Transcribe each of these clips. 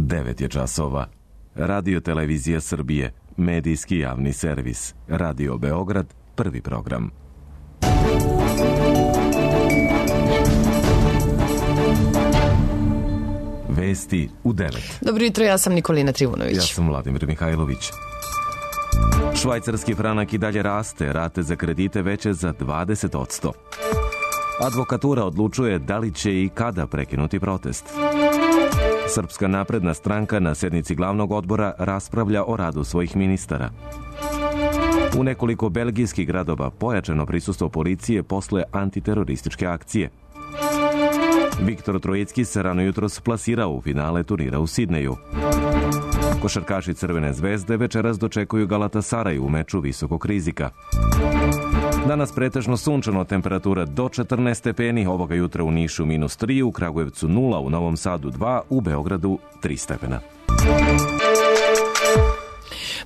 9 je časova. Radio Televizija Srbije, medijski javni servis. Radio Beograd, prvi program. Vesti u 9. Dobro jutro, ja sam Nikolina Trivunović. Ja sam Vladimir Mihajlović. Švajcarski franak i dalje raste, rate za kredite veće za 20%. Advokatura odlučuje da li će i kada prekinuti protest. Srpska napredna stranka na sednici glavnog odbora raspravlja o radu svojih ministara. U nekoliko belgijskih gradova pojačano prisustvo policije posle antiterorističke akcije. Viktor Trojecki se rano jutros plasirao u finale turnira u Sidneju. Košarkaši Crvene zvezde večeras dočekuju Galatasaraj u meču visokog rizika. Danas pretežno sunčano, temperatura do 14 stepeni, ovoga jutra u Nišu -3, u Kragujevcu 0, u Novom Sadu 2, u Beogradu 3 stepena.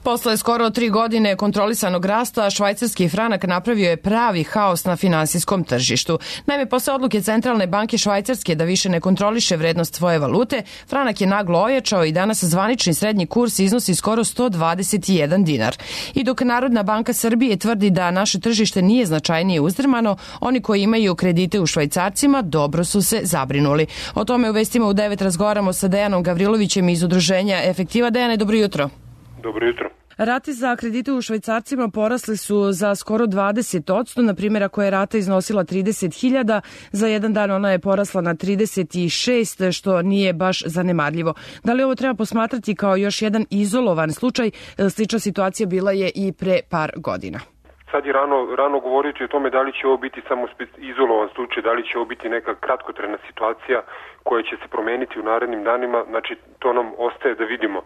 Posle skoro 3 godine kontrolisanog rasta, švajcarski franak napravio je pravi haos na finansijskom tržištu. Naime, posle odluke Centralne banke Švajcarske da više ne kontroliše vrednost svoje valute, franak je naglo ojačao i danas zvanični srednji kurs iznosi skoro 121 dinar. I dok Narodna banka Srbije tvrdi da naše tržište nije značajnije uzdrmano, oni koji imaju kredite u švajcarcima dobro su se zabrinuli. O tome u vestima u 9 razgovaramo sa Dejanom Gavrilovićem iz udruženja Efektiva. Dejane, dobro jutro. Dobro jutro. Rate za kredite u švajcarcima porasli su za skoro 20%. Na primjer, ako je rata iznosila 30.000, za jedan dan ona je porasla na 36, što nije baš zanemarljivo. Da li ovo treba posmatrati kao još jedan izolovan slučaj? Slična situacija bila je i pre par godina. Sad je rano govoriti o tome da li će ovo biti samo izolovan slučaj, da li će ovo biti neka kratkotrajna situacija koja će se promeniti u narednim danima. Znači, to nam ostaje da vidimo.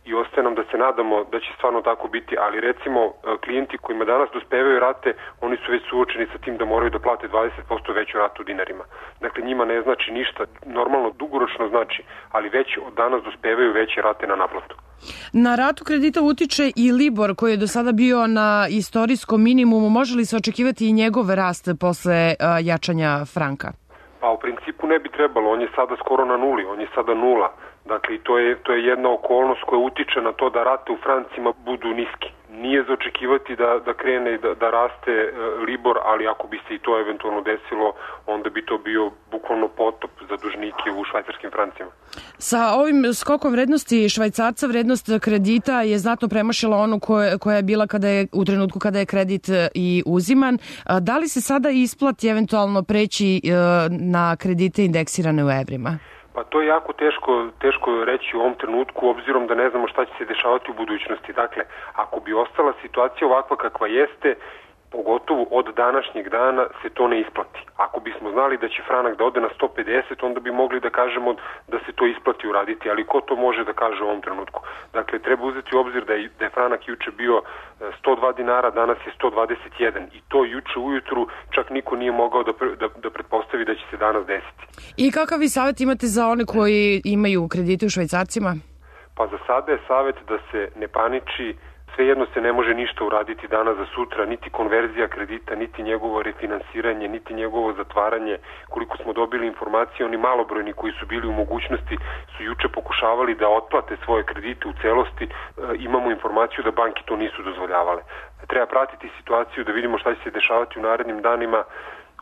I ostaje nam da se nadamo da će stvarno tako biti, ali recimo klijenti kojima danas dospevaju rate, oni su već suočeni sa tim da moraju da plate 20% veću ratu u dinarima. Dakle, njima ne znači ništa, normalno dugoročno znači, ali već od danas dospevaju veće rate na naplatu. Na ratu kredita utiče i Libor, koji je do sada bio na istorijskom minimumu. Može li se očekivati i njegov rast posle jačanja franka? Pa u principu ne bi trebalo, on je sada skoro na nuli, on je sada nula. Dakle, to je jedna okolnost koja utiče na to da rate u francima budu niski. Nije za očekivati da krene da raste Libor, ali ako bi se i to eventualno desilo, onda bi to bio bukvalno potop za dužnike u švajcarskim francima. Sa ovim skokom vrednosti švajcarca, vrednost kredita je znatno premašila onu koja je bila u trenutku kada je kredit i uziman. Da li se sada isplati eventualno preći na kredite indeksirane u evrima? Pa to je jako teško reći u ovom trenutku, obzirom da ne znamo šta će se dešavati u budućnosti. Dakle, ako bi ostala situacija ovakva kakva jeste, pogotovo od današnjeg dana se to ne isplati. Ako bismo znali da će franak da ode na 150, onda bi mogli da kažemo da se to isplati uraditi, ali ko to može da kaže u ovom trenutku? Dakle, treba uzeti u obzir da je franak juče bio 102 dinara, danas je 121 i to juče ujutru čak niko nije mogao da pretpostavi da će se danas desiti. I kakav vi savjet imate za one koji imaju kredite u švajcarcima? Pa za sada je savjet da se ne paniči. Svejedno se ne može ništa uraditi danas za sutra, niti konverzija kredita, niti njegovo refinansiranje, niti njegovo zatvaranje. Koliko smo dobili informacije, oni malobrojni koji su bili u mogućnosti su juče pokušavali da otplate svoje kredite u celosti. Imamo informaciju da banke to nisu dozvoljavale. Treba pratiti situaciju da vidimo šta će se dešavati u narednim danima.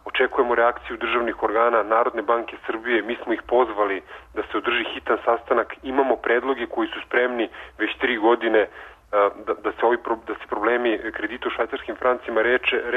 Očekujemo reakciju državnih organa Narodne banke Srbije. Mi smo ih pozvali da se održi hitan sastanak. Imamo predloge koji su spremni već 3 godine da se problemi kredita u švajcarskim francima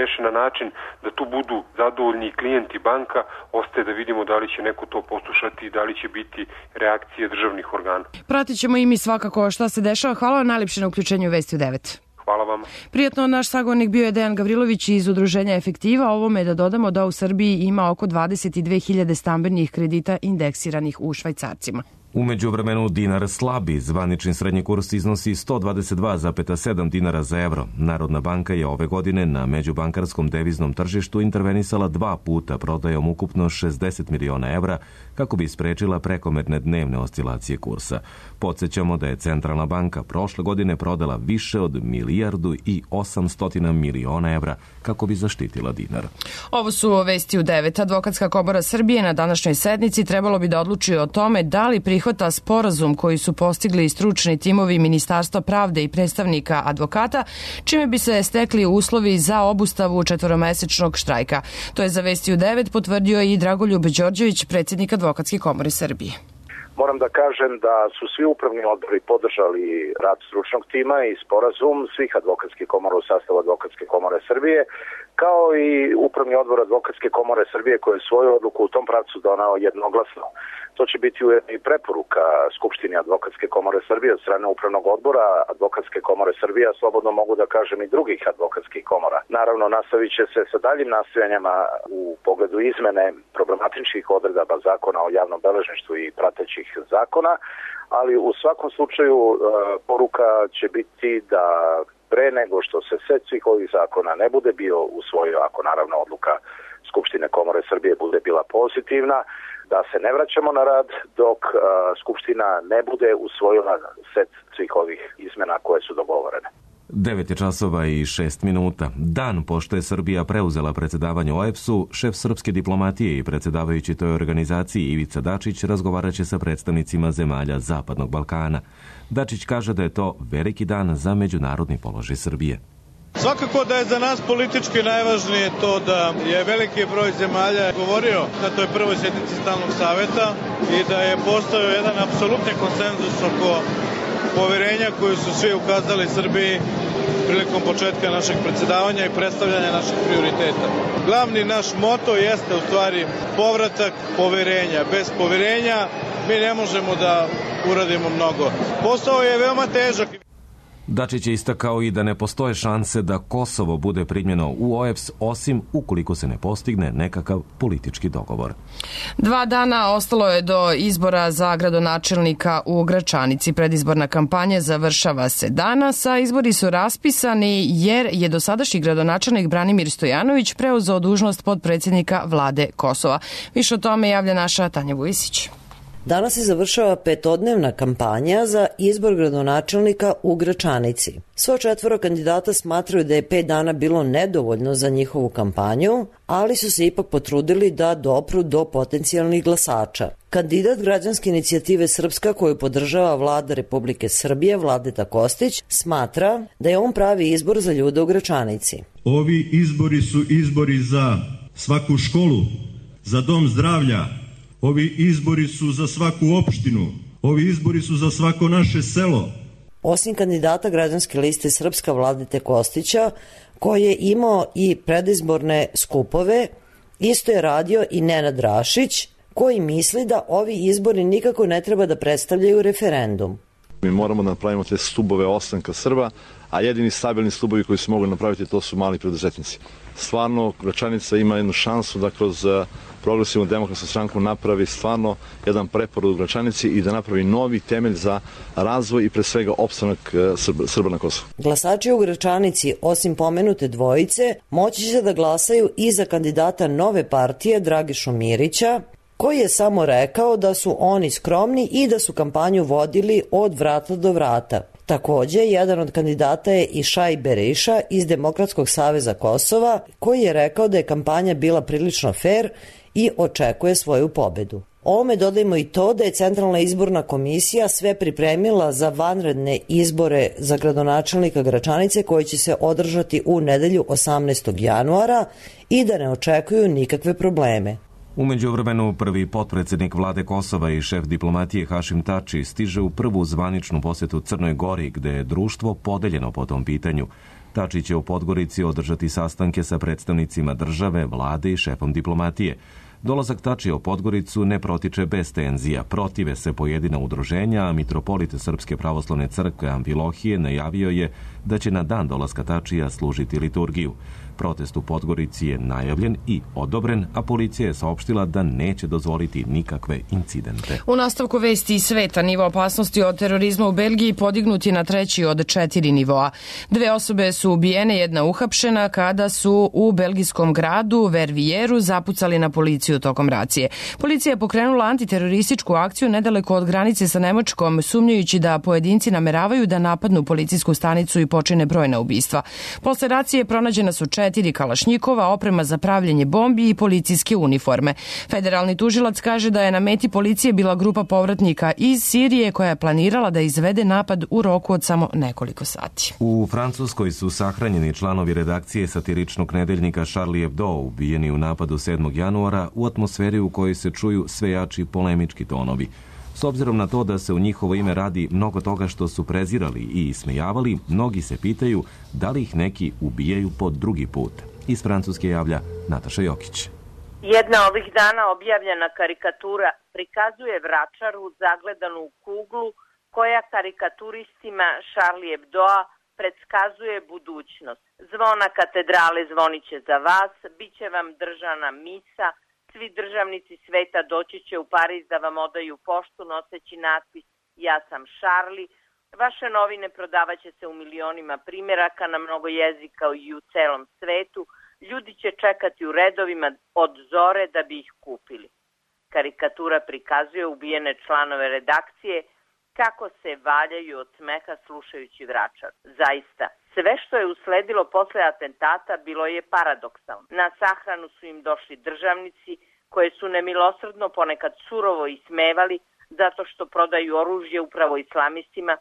reše na način da tu budu zadovoljni klijenti banka. Ostaje da vidimo da li će neko to poslušati i da li će biti reakcije državnih organa. Pratit ćemo i mi svakako šta se dešava. Hvala vam najlepše na uključenju Vesti u 9. Hvala vama. Prijatno, naš sagovornik bio je Dejan Gavrilović iz udruženja Efektiva. Ovome da dodamo da u Srbiji ima oko 22.000 stambenih kredita indeksiranih u švajcarcima. U međuvremenu dinar slabi, zvanični srednji kurs iznosi 122,7 dinara za evro. Narodna banka je ove godine na međubankarskom deviznom tržištu intervenisala 2 puta prodajom ukupno 60 miliona evra kako bi sprečila prekomerne dnevne oscilacije kursa. Podsjećamo da je Centralna banka prošle godine prodala više od 1,8 milijardi evra kako bi zaštitila dinar. Ovo su Vesti u 9. Advokatska komora Srbije na današnjoj sednici trebalo bi da odluči o tome da li prihvati prihvata sporazum koji su postigli stručni timovi Ministarstva pravde i predstavnika advokata, čime bi se stekli uslovi za obustavu četvoromesečnog štrajka. To je za Vesti u 9 potvrdio i Dragoljub Đorđević, predsjednik Advokatske komore Srbije. Moram da kažem da su svi upravni odbori podržali rad stručnog tima i sporazum svih advokatskih komora u sastavu Advokatske komore Srbije, kao i upravni odbor Advokatske komore Srbije koji je svoju odluku u tom pravcu donao jednoglasno. To će biti ujedno i preporuka Skupštini Advokatske komore Srbije od strane upravnog odbora Advokatske komore Srbije, a slobodno mogu da kažem i drugih advokatskih komora. Naravno, nastavit će se sa daljim nastojanjima u pogledu izmene problematičnih odredaba zakona o javnom beležništvu i pratećih zakona, ali u svakom slučaju poruka će biti da pre nego što se set svih ovih zakona ne bude bio usvojio, ako naravno odluka Skupštine Komore Srbije bude bila pozitivna, da se ne vraćamo na rad dok Skupština ne bude usvojila set svih ovih izmena koje su dogovorene. 9 časova i 6 minuta. Dan pošto je Srbija preuzela predsjedavanje OEBS-u, šef srpske diplomatije i predsjedavajući toj organizaciji Ivica Dačić razgovarat će sa predstavnicima zemalja Zapadnog Balkana. Dačić kaže da je to veliki dan za međunarodni položaj Srbije. Svakako da je za nas politički najvažnije to da je veliki broj zemalja govorio na toj prvoj sjednici Stalnog saveta i da je postojao jedan apsolutni konsenzus oko poverenja koju su svi ukazali Srbiji prilikom početka našeg predsjedavanja i predstavljanja naših prioriteta. Glavni naš moto jeste u stvari povratak poverenja. Bez poverenja mi ne možemo da uradimo mnogo. Posao je veoma težak. Dačić je istakao i da ne postoje šanse da Kosovo bude primljeno u OEBS osim ukoliko se ne postigne nekakav politički dogovor. 2 dana ostalo je do izbora za gradonačelnika u Gračanici. Predizborna kampanja završava se danas, a izbori su raspisani jer je dosadašnji gradonačelnik Branimir Stojanović preuzeo dužnost potpredsjednika vlade Kosova. Više o tome javlja naša Tanja Vujisić. Danas se završava 5-dnevna kampanja za izbor gradonačelnika u Gračanici. Svo 4 kandidata smatraju da je 5 dana bilo nedovoljno za njihovu kampanju, ali su se ipak potrudili da dopru do potencijalnih glasača. Kandidat građanske inicijative Srpska koju podržava vlada Republike Srbije, Vladeta Kostić, smatra da je on pravi izbor za ljude u Gračanici. Ovi izbori su izbori za svaku školu, za dom zdravlja. Ovi izbori su za svaku opštinu, ovi izbori su za svako naše selo. Osim kandidata građanske liste Srpska Vladete Kostića, koji je imao i predizborne skupove, isto je radio i Nenad Rašić, koji misli da ovi izbori nikako ne treba da predstavljaju referendum. Mi moramo da napravimo te stubove ostanka Srba, a jedini stabilni stubovi koji se mogu napraviti to su mali preduzetnici. Stvarno, Gračanica ima jednu šansu da kroz Progresivnu demokratsku stranku napravi stvarno jedan preporod u Gračanici i da napravi novi temelj za razvoj i pre svega opstanak Srba na Kosovu. Glasači u Gračanici, osim pomenute dvojice, moći će da glasaju i za kandidata nove partije Dragišu Mirića, koji je samo rekao da su oni skromni i da su kampanju vodili od vrata do vrata. Takođe, jedan od kandidata je i Šaj Beriša iz Demokratskog saveza Kosova, koji je rekao da je kampanja bila prilično fer i očekuje svoju pobedu. Ovome dodajmo i to da je Centralna izborna komisija sve pripremila za vanredne izbore za gradonačelnika Gračanice koji će se održati u nedelju 18. januara i da ne očekuju nikakve probleme. U međuvremenu prvi potpredsjednik vlade Kosova i šef diplomatije Hašim Tači stiže u prvu zvaničnu posjetu Crnoj Gori, gde je društvo podeljeno po tom pitanju. Tači će u Podgorici održati sastanke sa predstavnicima države, vlade i šefom diplomatije. Dolazak Tačija u Podgoricu ne protiče bez tenzija. Protive se pojedina udruženja, a mitropolit Srpske pravoslavne crkve Amfilohije najavio je da će na dan dolaska Tačija služiti liturgiju. Protest u Podgorici je najavljen i odobren, a policija je saopštila da neće dozvoliti nikakve incidente. U nastavku vesti iz sveta, nivo opasnosti od terorizma u Belgiji podignut je na 3. od 4 nivoa. 2 osobe su ubijene, 1 uhapšena kada su u belgijskom gradu Vervijeru zapucali na policiju policiju tokom racije. Policija je pokrenula antiterorističku akciju nedaleko od granice sa Nemačkom, sumnjajući da pojedinci nameravaju da napadnu policijsku stanicu i počine brojna ubistva. Posle racije pronađena su 4 kalašnjikova, oprema za pravljenje bombi i policijske uniforme. Federalni tužilac kaže da je na meti policije bila grupa povratnika iz Sirije koja je planirala da izvede napad u roku od samo nekoliko sati. U Francuskoj su sahranjeni članovi redakcije satiričnog nedeljnika Charlie Hebdo, ubijeni u napadu 7. januara u atmosferi u kojoj se čuju sve jači polemički tonovi. S obzirom na to da se u njihovo ime radi mnogo toga što su prezirali i ismejavali, mnogi se pitaju da li ih neki ubijaju po drugi put. Iz Francuske javlja Nataša Jokić. Jedna ovih dana objavljena karikatura prikazuje vračaru zagledanu u kuglu koja karikaturistima Charlie Hebdoa predskazuje budućnost. Zvona katedrale zvoniće za vas, bit će vam držana misa, svi državnici sveta doći će u Pariz da vam odaju poštu noseći natpis Ja sam Charlie. Vaše novine prodavaće se u milionima primjeraka na mnogo jezika i u celom svetu. Ljudi će čekati u redovima od zore da bi ih kupili. Karikatura prikazuje ubijene članove redakcije kako se valjaju od smeha slušajući vračar. Zaista, sve što je usledilo posle atentata bilo je paradoksalno. Na sahranu su im došli državnici koje su nemilosrdno ponekad surovo ismevali zato što prodaju oružje upravo islamistima,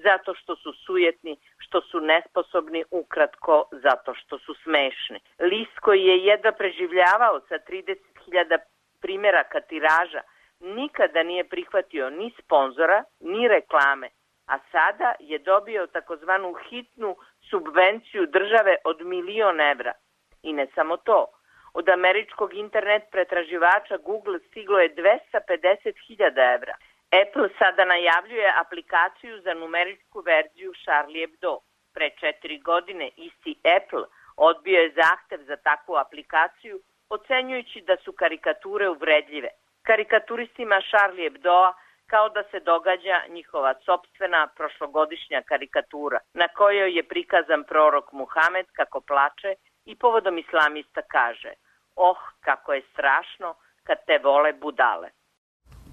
zato što su sujetni, što su nesposobni, ukratko, zato što su smešni. List koji je jedva preživljavao sa 30.000 primjeraka tiraža nikada nije prihvatio ni sponzora, ni reklame, a sada je dobio takozvanu hitnu subvenciju države od 1.000.000 evra. I ne samo to, od američkog internet pretraživača Google stiglo je 250.000 evra. Apple sada najavljuje aplikaciju za numeričku verziju Charlie Hebdo. Pre 4 godine isti Apple odbio je zahtev za takvu aplikaciju, ocenjujući da su karikature uvredljive. Karikaturistima Charlie Hebdoa kao da se događa njihova sopstvena prošlogodišnja karikatura, na kojoj je prikazan prorok Muhamed kako plače i povodom islamista kaže: "Oh, kako je strašno kad te vole budale."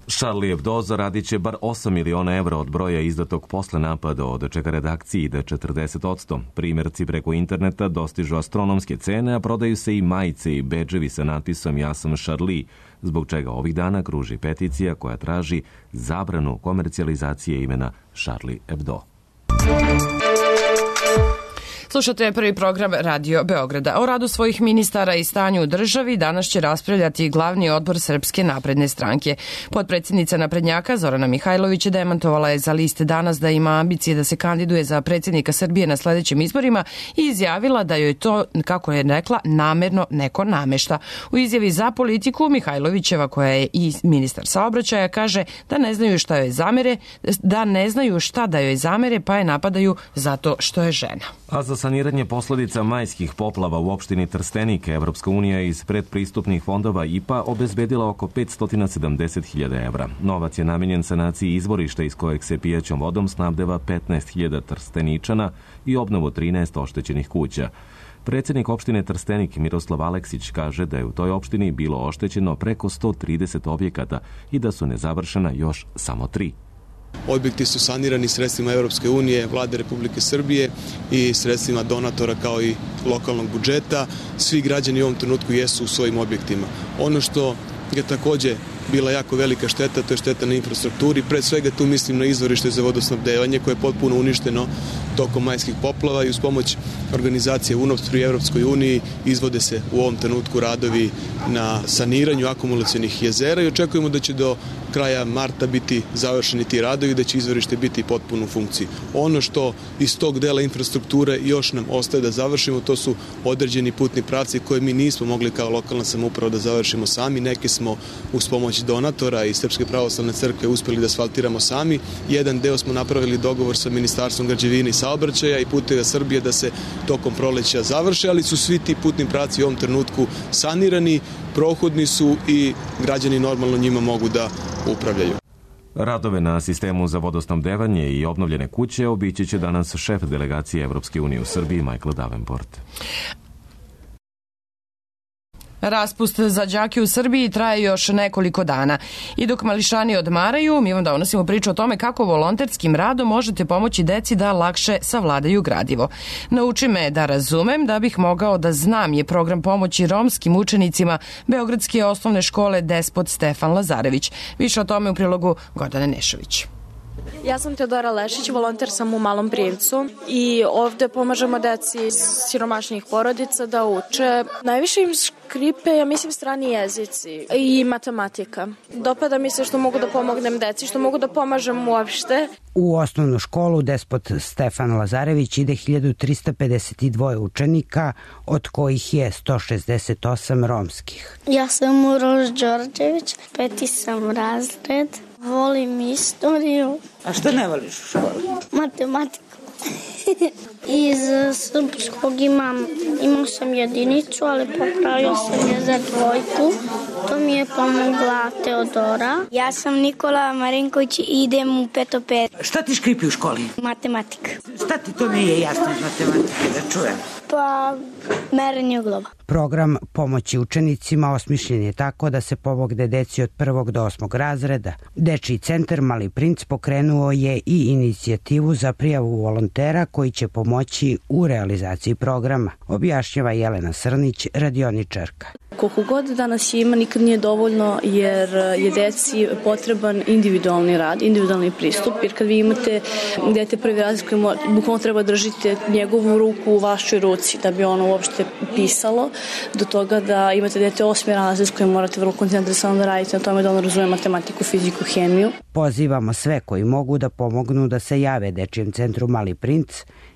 Charlie Hebdo zaradit će bar 8 miliona evra od broja izdatog posle napada, od čega redakciji ide 40%. Primjerci preko interneta dostižu astronomske cene, a prodaju se i majice i bedževi sa natpisom Ja sam Charlie, zbog čega ovih dana kruži peticija koja traži zabranu komercijalizacije imena Charlie Hebdo. Slušate prvi program Radio Beograda. O radu svojih ministara i stanju u državi danas će raspravljati glavni odbor Srpske napredne stranke. Potpredsjednica naprednjaka Zorana Mihajlović demantovala je za liste Danas da ima ambicije da se kandiduje za predsjednika Srbije na sledećim izborima i izjavila da joj to, kako je rekla, namerno neko namešta. U izjavi za politiku Mihajlovićeva, koja je i ministar saobraćaja, kaže da ne znaju šta da joj zamere, pa je napadaju zato što je žena. A za saniranje posledica majskih poplava u opštini Trstenik, Evropska unija iz predpristupnih fondova IPA obezbedila oko 570.000 evra. Novac je namenjen sanaciji izvorišta iz kojeg se pijaćom vodom snabdeva 15.000 Trsteničana i obnovu 13 oštećenih kuća. Predsjednik opštine Trstenik Miroslav Aleksić kaže da je u toj opštini bilo oštećeno preko 130 objekata i da su nezavršena još samo 3. Objekti su sanirani sredstvima Evropske unije, Vlade Republike Srbije i sredstvima donatora kao i lokalnog budžeta. Svi građani u ovom trenutku jesu u svojim objektima. Ono što je takođe bila jako velika šteta, to je šteta na infrastrukturi. Pre svega tu mislim na izvorište za vodosnabdevanje koje je potpuno uništeno tokom majskih poplava i uz pomoć organizacije UNOPS pri Evropskoj uniji izvode se u ovom trenutku radovi na saniranju akumulacionih jezera i očekujemo da će do kraja marta biti završeni ti radovi i da će izvorište biti potpuno u funkciji. Ono što iz tog dela infrastrukture još nam ostaje da završimo, to su određeni putni pravci koje mi nismo mogli kao lokalna samouprava da završimo sami. Neke smo uz pomoć donatora i Srpske pravoslavne crkve uspeli da asfaltiramo sami. Jedan deo smo napravili dogovor sa Ministarstvom građevine i saobraćaja i Puteva Srbije da se tokom proleća završe, ali su svi ti putni pravci u ovom trenutku sanirani, prohodni su i građani normalno njima mogu da upravljaju. Radove na sistemu za vodosnabdevanje i obnovljene kuće obići će danas šef delegacije Evropske unije u Srbiji Michael Davenport. Raspust za đake u Srbiji traje još nekoliko dana. I dok mališani odmaraju, mi vam donosimo priču o tome kako volonterskim radom možete pomoći deci da lakše savladaju gradivo. Nauči me da razumem da bih mogao da znam je program pomoći romskim učenicima Beogradske osnovne škole Despot Stefan Lazarević. Više o tome u prilogu Gordane Nešović. Ja sam Teodora Lešić, volonter sam u Malom Privcu i ovde pomažemo deci iz siromašnih porodica da uče. Najviše im škripe, ja mislim, strani jezici i matematika. Dopada mi se što mogu da pomognem deci, što mogu da pomažem uopšte. U osnovnu školu Despot Stefan Lazarević ide 1352 učenika, od kojih je 168 romskih. Ja sam Uroš Đorđević, 5. sam razred. Volim istoriju. A što ne voliš u školi? Matematiku. Iz srpskog imao sam jedinicu, ali popravio sam je za dvojku. To mi je pomogla Teodora. Ja sam Nikola Marinković i idem u 5. pet. Šta ti škripi u školi? Matematika. Šta ti to nije jasno iz matematike, da čujem? Pa, merenje uglova. Program pomoći učenicima osmišljen je tako da se pomogne deci od 1. do 8. razreda. Dečiji centar Mali princ pokrenuo je i inicijativu za prijavu volontera koji će pomoći u realizaciji programa, objašnjava Jelena Srnić, radioničarka. Koliko god danas ima, nikad nije dovoljno jer je deci potreban individualni rad, individualni pristup, jer kad vi imate dete prvi razred koji bukvalno treba držite njegovu ruku u vašoj ruci da bi ono uopšte pisalo, do toga da imate dete 8. razred s kojim morate vrlo koncentrisano da radite na tome da ono razume matematiku, fiziku, hemiju. Pozivamo sve koji mogu da pomognu da se jave Dečijem centru Mali princ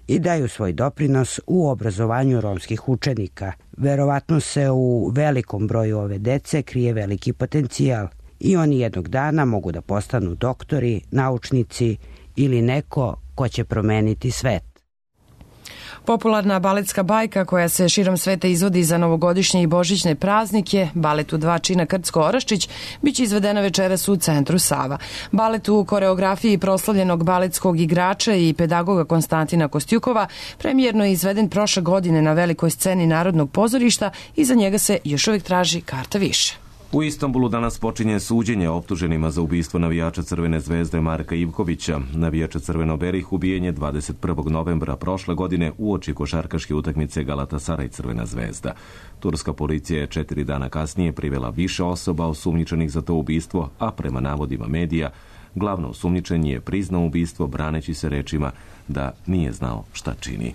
i daju svoj doprinos u obrazovanju romskih učenika. Verovatno se u velikom broju ove dece krije veliki potencijal i oni jednog dana mogu da postanu doktori, naučnici ili neko ko će promeniti svet. Popularna baletska bajka koja se širom sveta izvodi za novogodišnje i božićne praznike, balet u 2 čina Krcko-Oraščić, biće izvedena večeras u centru Sava. Balet u koreografiji proslavljenog baletskog igrača i pedagoga Konstantina Kostjukova premijerno je izveden prošle godine na velikoj sceni Narodnog pozorišta i za njega se još uvijek traži karta više. U Istanbulu danas počinje suđenje optuženima za ubistvo navijača Crvene zvezde Marka Ivkovića. Navijača Crveno-berih ubijen je 21. novembra prošle godine uoči košarkaške utakmice Galatasaray Crvena zvezda. Turska policija je 4 dana kasnije privela više osoba osumnjičenih za to ubistvo, a prema navodima medija, glavno osumnjičen je priznao ubistvo braneći se rečima da nije znao šta čini.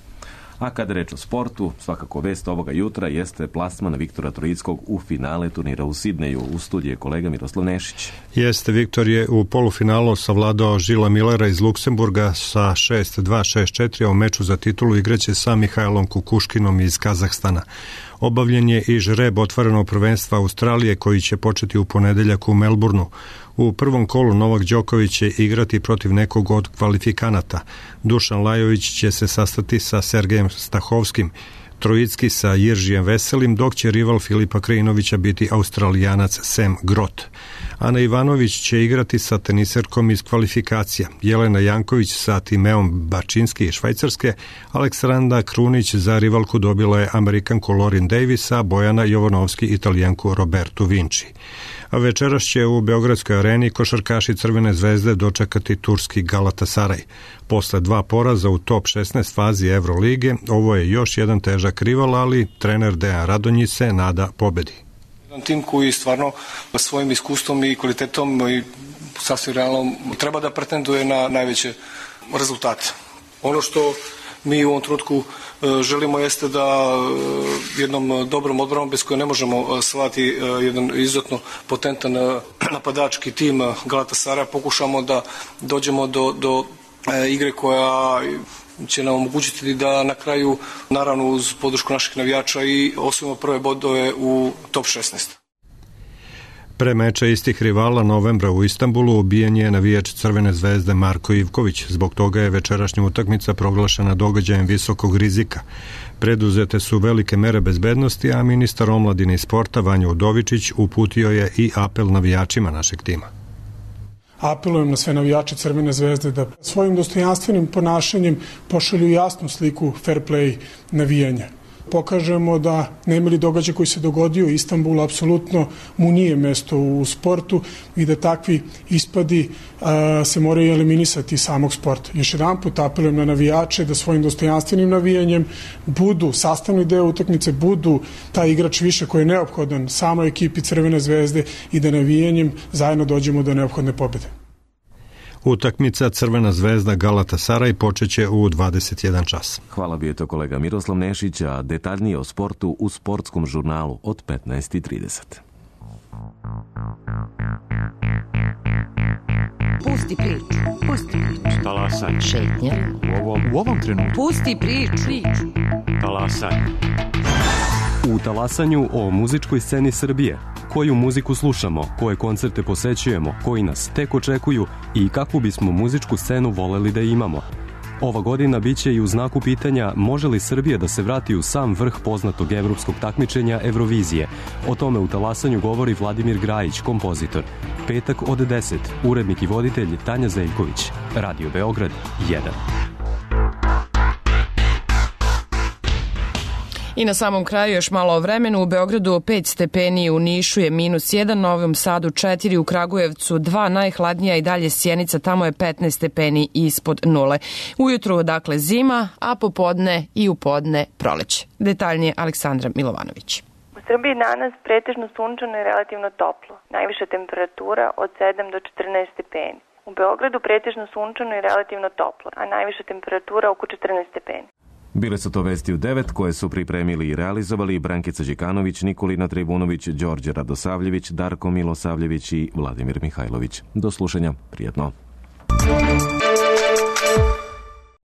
A kada reč o sportu, svakako vest ovoga jutra jeste plasman Viktora Troickog u finale turnira u Sidneju. U studiju je kolega Miroslav Nešić. Jeste, Viktor je u polufinalu savladao Žila Millera iz Luksemburga sa 6-2, 6-4, a u meču za titulu igraće sa Mihajlom Kukuškinom iz Kazahstana. Obavljen je i žreb otvorenog prvenstva Australije koji će početi u ponedeljak u Melbourneu. U prvom kolu Novak Đoković će igrati protiv nekog od kvalifikanata. Dušan Lajović će se sastati sa Sergejem Stahovskim, Troicki sa Jiržijem Veselim, dok će rival Filipa Krajinovića biti Australijanac Sam Grot. Ana Ivanović će igrati sa teniserkom iz kvalifikacija, Jelena Janković sa Timeom Bačinski iz Švajcarske, Aleksandra Krunić za rivalku dobila je Amerikanku Lorin Davis, a Bojana Jovanovski Italijanku Robertu Vinci. A večeras će u Beogradskoj areni košarkaši Crvene zvezde dočekati turski Galatasaray. Posle 2 poraza u top 16 fazi Evrolige, ovo je još jedan težak rival, ali trener Dejan Radonjić se nada pobedi. Jedan tim koji stvarno svojim iskustvom i kvalitetom i sasvim realno treba da pretenduje na najveće rezultate. Ono što mi u ovom trenutku želimo jeste da jednom dobrom odbranom bez koje ne možemo shvatiti jedan izuzetno potentan napadački tim Galatasaraya pokušamo da dođemo do igre koja će nam omogućiti da na kraju, naravno uz podršku naših navijača, i osvojimo prve bodove u top 16. Pre meča istih rivala novembra u Istanbulu ubijen je navijač Crvene zvezde Marko Ivković. Zbog toga je večerašnja utakmica proglašena događajem visokog rizika. Preduzete su velike mere bezbednosti, a ministar omladine i sporta Vanja Udovičić uputio je i apel navijačima našeg tima. Apelujem na sve navijače Crvene zvezde da svojim dostojanstvenim ponašanjem pošalju jasnu sliku fair play navijanja. pokažemo da nemili događaj koji se dogodio u Istanbulu apsolutno mu nije mesto u sportu i da takvi ispadi se moraju eliminisati iz samog sporta. Još jedan put apelujem na navijače da svojim dostojanstvenim navijanjem budu sastavni deo utakmice, budu taj igrač više koji je neophodan samoj ekipi Crvene zvezde i da navijanjem zajedno dođemo do neophodne pobjede. Utakmica Crvena zvezda Galatasaraj počeće u 21 čas. Hvala, bio je to kolega Miroslav Nešić, a detaljnije o sportu u sportskom žurnalu od 15:30. Pusti priču. Talasaj. Šetnja. U ovom trenutku. Pusti priču. Talasaj. U Talasanju o muzičkoj sceni Srbije. Koju muziku slušamo, koje koncerte posećujemo, koji nas tek očekuju i kakvu bismo muzičku scenu voleli da imamo. Ova godina biće i u znaku pitanja može li Srbija da se vrati u sam vrh poznatog evropskog takmičenja Eurovizije. O tome u Talasanju govori Vladimir Grajić, kompozitor. Petak od 10, urednik i voditelj Tanja Zeljković. Radio Beograd 1. I na samom kraju još malo o vremenu. U Beogradu 5 stepeni, u Nišu je -1, Novom Sadu 4, u Kragujevcu 2, najhladnija i dalje Sjenica, tamo je 15 stepeni ispod nule. Ujutru dakle zima, a popodne i u podne proleće. Detaljnije Aleksandra Milovanović. U Srbiji danas pretežno sunčano i relativno toplo. Najviša temperatura od 7 do 14 stepeni. U Beogradu pretežno sunčano i relativno toplo, a najviša temperatura oko 14 stepeni. Bile su to vesti u 9 koje su pripremili i realizovali Brankica Đikanović, Nikolina Tribunović, Đorđe Radosavljević, Darko Milosavljević i Vladimir Mihajlović. Do slušanja, prijetno.